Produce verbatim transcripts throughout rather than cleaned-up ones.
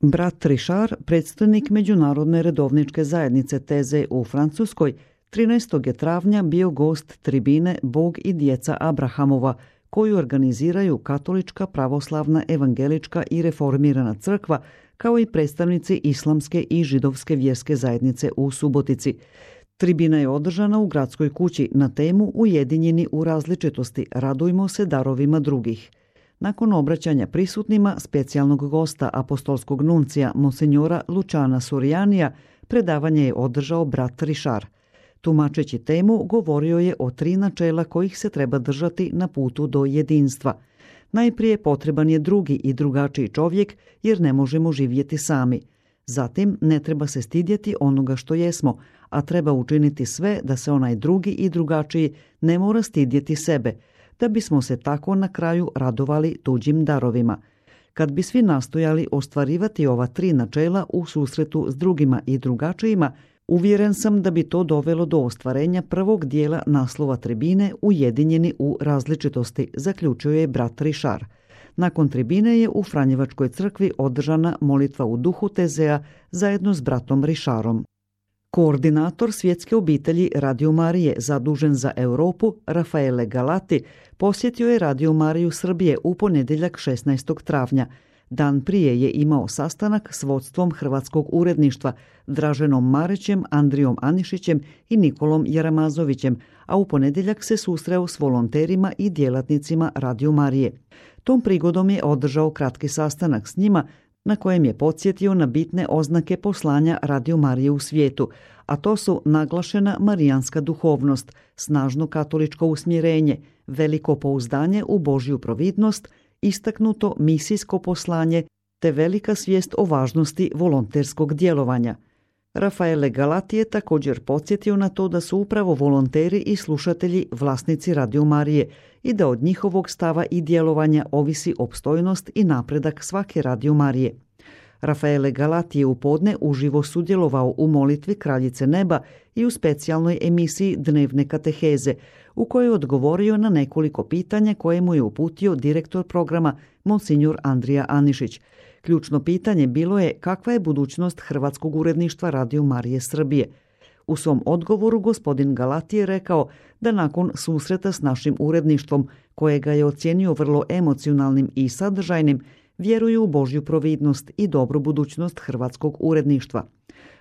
Brat Richard, predstojnik Međunarodne redovničke zajednice Teze u Francuskoj, trinaestog je travnja bio gost tribine Bog i djeca Abrahamova, koju organiziraju Katolička, pravoslavna, evangelička i reformirana crkva, kao i predstavnici islamske i židovske vjerske zajednice u Subotici. Tribina je održana u gradskoj kući na temu Ujedinjeni u različitosti, radujmo se darovima drugih. Nakon obraćanja prisutnima specijalnog gosta apostolskog nuncija monsinjora Lučana Surijanija, predavanje je održao brat Richard. Tumačeći temu, govorio je o tri načela kojih se treba držati na putu do jedinstva. Najprije potreban je drugi i drugačiji čovjek, jer ne možemo živjeti sami. Zatim, ne treba se stidjeti onoga što jesmo, a treba učiniti sve da se onaj drugi i drugačiji ne mora stidjeti sebe, da bismo se tako na kraju radovali tuđim darovima. Kad bi svi nastojali ostvarivati ova tri načela u susretu s drugima i drugačijima, uvjeren sam da bi to dovelo do ostvarenja prvog dijela naslova tribine Ujedinjeni u različitosti, zaključio je brat Richard. Nakon tribine je u Franjevačkoj crkvi održana molitva u duhu Tezea zajedno s bratom Richardom. Koordinator svjetske obitelji Radio Marije zadužen za Europu, Rafaele Galati, posjetio je Radio Mariju Srbije u ponedjeljak šesnaestog travnja. Dan prije je imao sastanak s vodstvom hrvatskog uredništva, Draženom Marićem, Andrijom Anišićem i Nikolom Jaramazovićem, a u ponedjeljak se susreo s volonterima i djelatnicima Radio Marije. Tom prigodom je održao kratki sastanak s njima, na kojem je podsjetio na bitne oznake poslanja Radio Marije u svijetu, a to su naglašena marijanska duhovnost, snažno katoličko usmjerenje, veliko pouzdanje u Božju providnost, istaknuto misijsko poslanje te velika svijest o važnosti volonterskog djelovanja. Rafaele Galati je također podsjetio na to da su upravo volonteri i slušatelji vlasnici Radio Marije i da od njihovog stava i djelovanja ovisi opstojnost i napredak svake Radio Marije. Rafaele Galati je u podne uživo sudjelovao u molitvi Kraljice neba i u specijalnoj emisiji Dnevne kateheze, u kojoj je odgovorio na nekoliko pitanja koje mu je uputio direktor programa monsinjor Andrija Anišić. Ključno pitanje bilo je kakva je budućnost hrvatskog uredništva Radio Marije Srbije. U svom odgovoru gospodin Galati je rekao da nakon susreta s našim uredništvom, kojega je ocijenio vrlo emocionalnim i sadržajnim, vjeruju u Božju providnost i dobru budućnost hrvatskog uredništva.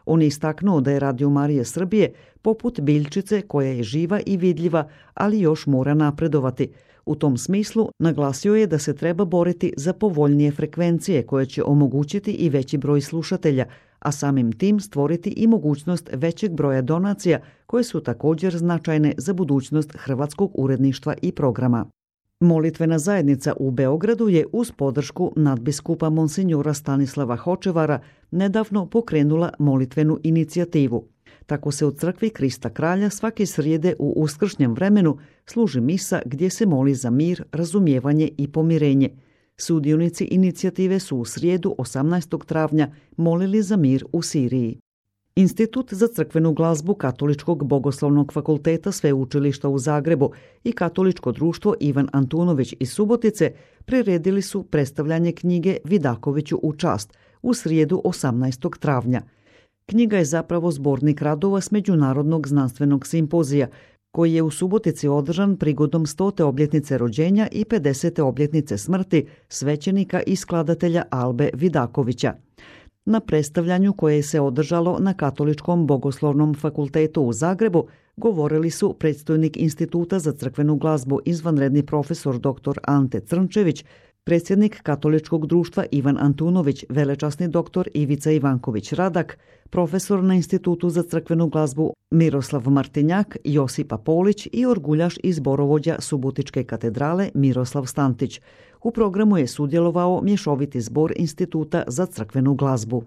On je istaknuo da je Radio Marije Srbije poput biljčice koja je živa i vidljiva, ali još mora napredovati. U tom smislu naglasio je da se treba boriti za povoljnije frekvencije koje će omogućiti i veći broj slušatelja, a samim tim stvoriti i mogućnost većeg broja donacija koje su također značajne za budućnost hrvatskog uredništva i programa. Molitvena zajednica u Beogradu je uz podršku nadbiskupa monsinjora Stanislava Hočevara nedavno pokrenula molitvenu inicijativu. Tako se u crkvi Krista Kralja svake srijede u uskršnjem vremenu služi misa gdje se moli za mir, razumijevanje i pomirenje. Sudionici inicijative su u srijedu osamnaestog travnja molili za mir u Siriji. Institut za crkvenu glazbu Katoličkog bogoslovnog fakulteta Sveučilišta u Zagrebu i Katoličko društvo Ivan Antunović iz Subotice priredili su predstavljanje knjige Vidakoviću u čast u srijedu osamnaestog travnja. Knjiga je zapravo zbornik radova s Međunarodnog znanstvenog simpozija, koji je u Subotici održan prigodom stote obljetnice rođenja i pedesete obljetnice smrti svećenika i skladatelja Albe Vidakovića. Na predstavljanju koje se održalo na Katoličkom bogoslovnom fakultetu u Zagrebu govorili su predstojnik Instituta za crkvenu glazbu izvanredni profesor doktor Ante Crnčević, predsjednik Katoličkog društva Ivan Antunović, velečasni doktor Ivica Ivanković Radak, profesor na Institutu za crkvenu glazbu Miroslav Martinjak, Josipa Polić i orguljaš i zborovođa Subotičke katedrale Miroslav Stantić. U programu je sudjelovao mješoviti zbor Instituta za crkvenu glazbu.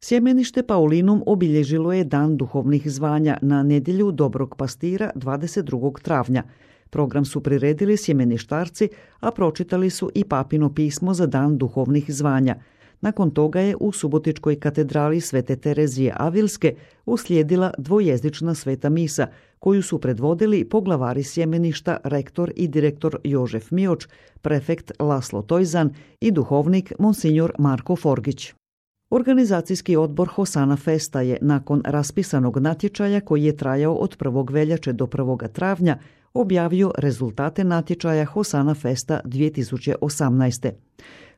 Sjemenište Paulinum obilježilo je Dan duhovnih zvanja na nedjelju Dobrog pastira dvadeset drugog travnja. Program su priredili sjemeništarci, a pročitali su i papino pismo za Dan duhovnih zvanja. Nakon toga je u Subotičkoj katedrali Svete Terezije Avilske uslijedila dvojezična sveta misa, koju su predvodili poglavari sjemeništa, rektor i direktor Jožef Mioč, prefekt Laslo Tojzan i duhovnik monsinjor Marko Forgić. Organizacijski odbor Hosana Festa je nakon raspisanog natječaja koji je trajao od prvog veljače do prvog travnja objavio rezultate natječaja Hosana Festa dvije tisuće osamnaeste.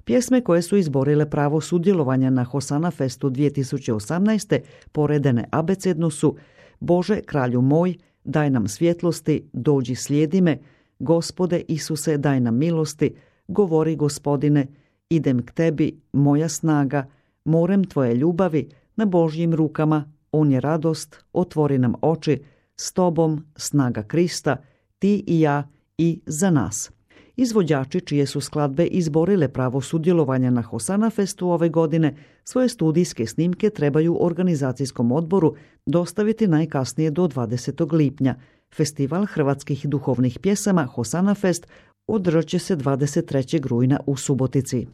Pjesme koje su izborile pravo sudjelovanja na Hosana Festu dvije tisuće osamnaeste poredene abecedno su Bože, kralju moj, daj nam svjetlosti, dođi slijedi me, Gospode Isuse, daj nam milosti, govori Gospodine, idem k tebi, moja snaga, morem tvoje ljubavi, na Božjim rukama, on je radost, otvori nam oči, s tobom, snaga Krista, ti i ja i za nas. Izvođači čije su skladbe izborile pravo sudjelovanja na Hosana Festu ove godine, svoje studijske snimke trebaju organizacijskom odboru dostaviti najkasnije do dvadesetog lipnja. Festival hrvatskih duhovnih pjesama Hosana Fest održat će se dvadeset trećeg rujna u Subotici.